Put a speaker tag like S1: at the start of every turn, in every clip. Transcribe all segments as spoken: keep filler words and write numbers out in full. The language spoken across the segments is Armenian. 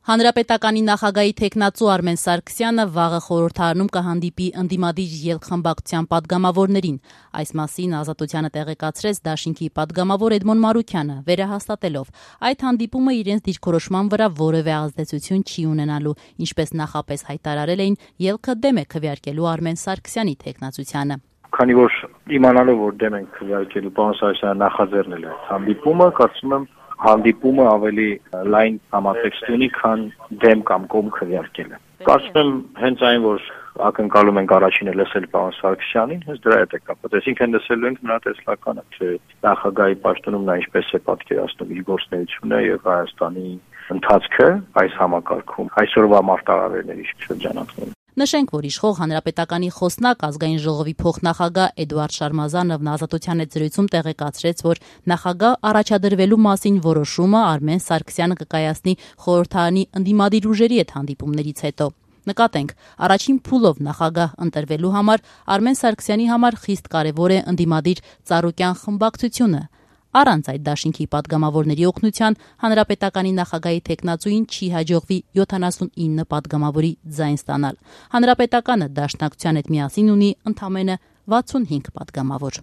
S1: Հանրապետականի նախագահի թեկնածու Արմեն Սարգսյանը վաղը խորհրդարանում կհանդիպի ընդդիմադիր ելք-խմբակցության պատգամավորներին։ Այս մասին Ազատությանը տեղեկացրեց Դաշինքի պատգամավոր Էդմոն Մարուքյանը, վերահաստատելով այդ հանդիպումը իրենց դիրքորոշման վրա որևէ ազդեցություն չի ունենալու, ինչպես նախապես հայտարարել էին, ելքը դեմ է քվեարկելու Արմեն Սարգսյանի թեկնածությանը։
S2: Քանի որ իմանալով որ դեմ են քվեարկելու պարոն Սարգսյանը նախաձեռնել է հանդիպումը, կարծում եմ հանդիպումը ավելի լայն համատեքստ ունի, քան դեմ կամ կողմ քվեարկելը։ Կարծում եմ հենց այն, որ ակնկալում ենք առաջինը լսել պարոն Սարգսյանին, հենց դրա հետ է կապված։ Այսինքն լսելու ենք նրա տեսլականը, թե նախագահի պաշտոնում նա ինչպես է պատկերացնում իր գործունեությունը եւ Հայաստանի ընթացքը այս համակարգում, այսօրվա մարտահրավերների շրջանակներում։
S1: Նշենք, որ իշխող Հանրապետականի խոսնակ ազգային ժողովի փոխնախագահ Էդուարդ Շարմազանովն Ազատության հետ զրույցում տեղեկացրեց, որ նախագահ առաջադրվելու մասին որոշումը Արմեն Սարգսյանը կկայացնի խորհրդարանի ընդդիմադիր ուժերի հետ հանդիպումներից հետո։ Նկատենք, առաջին փուլով նախագահ ընտրվելու համար Արմեն Սարգսյանի համար խիստ կարևոր է ընդդիմադիր ծառուկյան խմբակցությունը։ Առանց այդ Դաշինքի պատգամավորների օգնության Հանրապետականի նախագահի թեկնածուին չի հաջողվի յոթանասունինը պատգամավորի ձայն ստանալ։ Հանրապետականը Դաշնակցության հետ միասին ունի ընդամենը վաթսունհինգ պատգամավոր։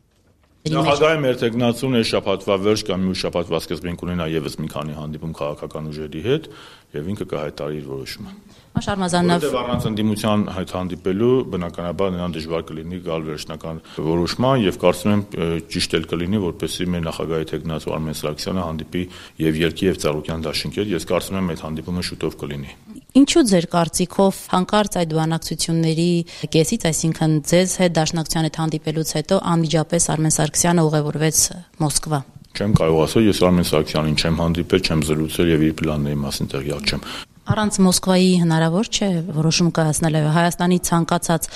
S3: Նախագահի մեր թեկնածուն է շաբաթվա վերջ կամ մյուս շաբաթվա սկզբին կունենա եւս մի քանի հանդիպում քաղաքական ուժերի հետ եւ ինքը կհայտարարի իր որոշումը։
S1: Շարմազանով
S3: առանց ընդդիմության հետ հանդիպելու բնականաբար նրան դժվար կլինի գալ վերջնական որոշման եւ կարծում եմ ճիշտ էլ կլինի որպեսզի մեր նախագահի թեկնածու Արմեն Սարգսյանը հանդիպի եւ Ելքի եւ Ծառուկյան դաշինքի հետ։ Ես կարծում եմ այդ հանդիպումը շուտով կլինի։
S1: Ինչու ձեր կարծիքով հանկարծ այդ բանակցությունների կեսից, այսինքն ձեզ հետ Դաշնակցության հետ հանդիպելուց հետո անմիջապես Արմեն Սարգսյանը ուղևորվեց Մոսկվա։
S3: Չեմ կարող ասել, ես Արմեն Սարգսյանին չեմ հանդիպել, չեմ զրուցել եւ իր պլանների մասին տեղյակ չեմ։
S1: Առանց Մոսկվայի հնարավոր չէ որոշում կայացնել Հայաստանի ցանկացած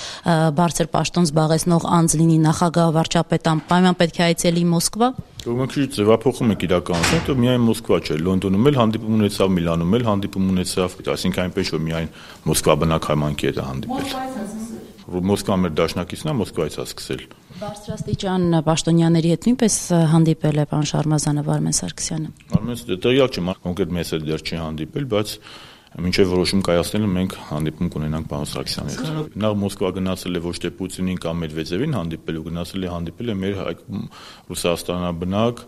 S1: բարձր պաշտոն զբաղեցնող անձ լինի նախագահ, վարչապետ, պայման պետք է այցելի Մոսկվա։
S3: Ուրեմն քիչ ձևափոխում եք իրականությունը, դա միայն Մոսկվա չէ, Լոնդոնում էլ հանդիպում ունեցավ, Միլանում էլ հանդիպում ունեցավ, այսինքն այնպես որ միայն Մոսկվա բնակ համայնքի հետ է հանդիպել։ Մոսկվա մեր դաշնակիցն է, Մոսկվայից է սկսել։
S1: Բարձրաստիճան պաշտոնյաների հետ նույնպես հանդիպել է պարոն Շարմազանով Արմեն Սարգսյանը։
S3: Արմեն տեղյակ չեմ, կոնկրետ մեզ հետ դեռ չի հանդիպել, բայց մինչև որոշում կայացնելը մենք հանդիպում կունենանք պարոն Սարգսյանի հետ։ Նա Մոսկվա գնացել է ոչ թե Պուտինին կամ Մեդվեդևին հանդիպելու, գնացել է հանդիպել է մեր Ռուսաստանաբնակ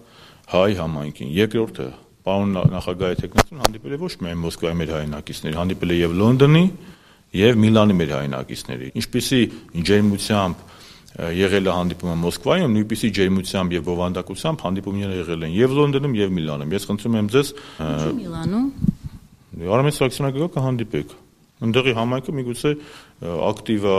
S3: հայ համայնքին։ Երկրորդը պարոն նախագահի թեկնածուն հանդիպել է ոչ միայն Մոսկվայի մեր հայրենակիցների, հանդիպել է եւ Լոնդոնի եւ Միլանի մեր հայրենակիցների։ Ինչպիսի ջերմությամբ եղել է հանդիպումը Մոսկվայում, նույնպիսի ջերմությամբ եւ բովանդակությամբ հանդիպումները եղել են եւ Լոնդոնում եւ Միլանում։ Ես խնդրում եմ ձեզ
S1: Միլանում
S3: Արմեն Սարգսյանը գա կհանդիպեք։ Ընդդեղի համայնքը միգուցե ակտիվ է,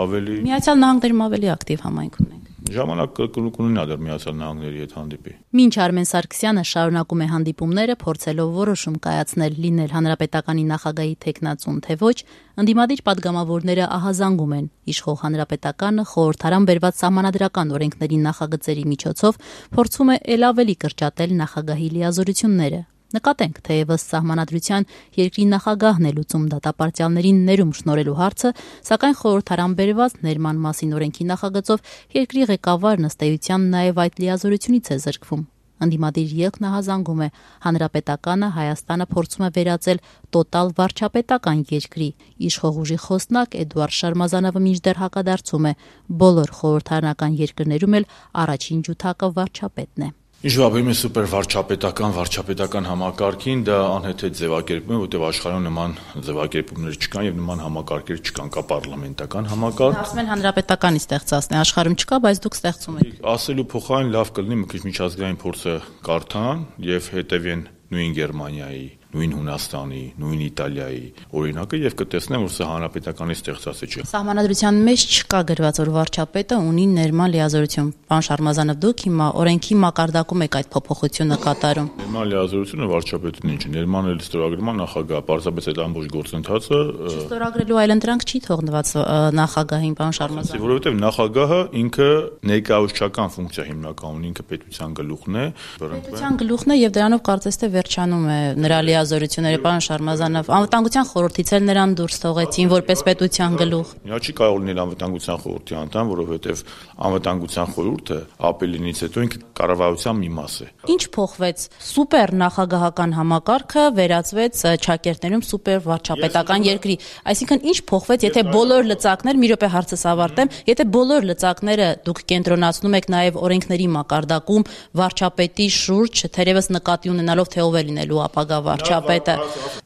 S3: ավելի
S1: Միացյալ Նահանգներում ավելի ակտիվ համայնք ունենք։
S3: Ժամանակ կունենա դեռ Միացյալ Նահանգների հետ հանդիպի։
S1: Մինչ Արմեն Սարգսյանը շարունակում է հանդիպումները, փորձելով որոշում կայացնել լինել Հանրապետականի նախագահի թեկնածուն թե ոչ, ընդդիմադիր պատգամավորները ահազանգում են իշխող Հանրապետականը խորհրդարան բերված սահմանադրական օրենքների նախագծերի միջոցով փորձում է ել ավելի կրճատել նախագահի լիազորությունները։ Նկատենք, թեևս սահմանադրության երկրի նախագահն է լուծում դատապարտյալներին ներում շնորհելու հարցը, սակայն խորհրդարան բերված ներման մասին օրենքի նախագծով երկրի ղեկավարն ըստ էության նաև այդ լիազորությունից է զրկվում։ Ընդդիմադիր ելքն ահազանգում է Հանրապետականը Հայաստանը փորձում է վերածել տոտալ վարչապետական երկրի։ Իշխող ուժի խոսնակ Էդուարդ Շարմազանովը մինչդեռ հակադարձում է բոլոր խորհրդարանական երկրներում էլ առաջին ջութակը վարչապետն է։
S3: Ինչ վաբերում է սուպեր վարչապետական, վարչապետական համակարգին, դա անհեթեթ ձևակերպում է, որտեղ աշխարհում նման ձևակերպումներ չկան եւ նման համակարգեր չկան, կա պարլամենտական համակարգ։
S1: Ասում են հանրապետականի ստեղծածն է, աշխարհում չկա, բայց դուք ստեղծում եք։
S3: Ասելու փոխարեն լավ կլինի մի քիչ միջազգային փորձը կարդան եւ հետեւեն նույն Գերմանիայի, նույն Հունաստանի, նույն Իտալիայի օրինակը եւ կտեսնեն, որ սա հանրապետականի ստեղծած չէ։
S1: Սահմանադրության մեջ չկա գրված, որ վարչապետը ունի ներման լիազորություն։ Պարոն Շարմազանով, դուք հիմա օրենքի մակարդակում եք այդ փոփոխությունը կատարում։
S3: Ներման լիազորությունը վարչապետին ինչ է, ներման էլ ստորագրման նախագահ, պարզապես այդ ամբողջ գործընթացը
S1: Չստորագրելու այլընտրանք չի թողնված նախագահին, պարոն Շարմազանով։
S3: Որովհետեւ նախագահը ինքը ներկայացուցչական ֆունկցիա հիմնական ունի, ինքը պետության գլուխն է։
S1: Պետության գլուխն է եւ դրանով կարծես թե վերջանում է նրա լիազորությունները, պարոն Շարմազանով, անվտանգության խորհրդից էլ նրան դուրս թողեցին որպես պետության գլուխ։
S3: Նա չի կարող լինել անվտանգության խորհրդի անդամ, որովհետև անվտանգության խորհուրդը ապելինից հետո ինքը կառավարության մի մաս է։
S1: Ինչ փոխվեց։ Սուպեր նախագահական համակարգը վերածվեց ճակերտներում սուպեր վարչապետական երկրի։ Այսինքն ինչ փոխվեց, եթե բոլոր լծակներ, մի րոպե հարցս ավարտեմ, եթե բոլոր լծակները դուք կենտրոնացնում եք նաև օրենքների մակարդակում վարչապետի շուրջ, թերևս նկատի ունենալով թե ով է լինելու ապագա վարչապետը։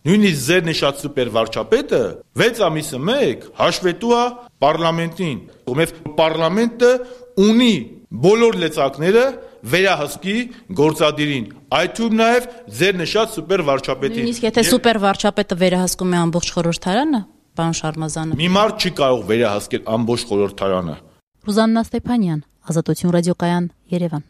S3: Նույնիսկ ձեր նշած սուպեր վարչապետը վեց ամիսը մեկ հաշվետու է պարլամենտին, ով պարլամենտը ունի բոլոր լծակները վերահսկի գործադիրին, այդ թվում նաև ձեր նշած սուպեր վարչապետին։
S1: Նույնիսկ եթե սուպեր վարչապետը վերահսկում է ամբողջ խորհրդարանը, պարոն Շարմազանов։
S3: Մի մարդ չի կարող վերահսկել ամբողջ խորհրդարանը։
S1: Ռուզաննա Ստեփանյան, Ազատություն ռադիոկայան, Երևան։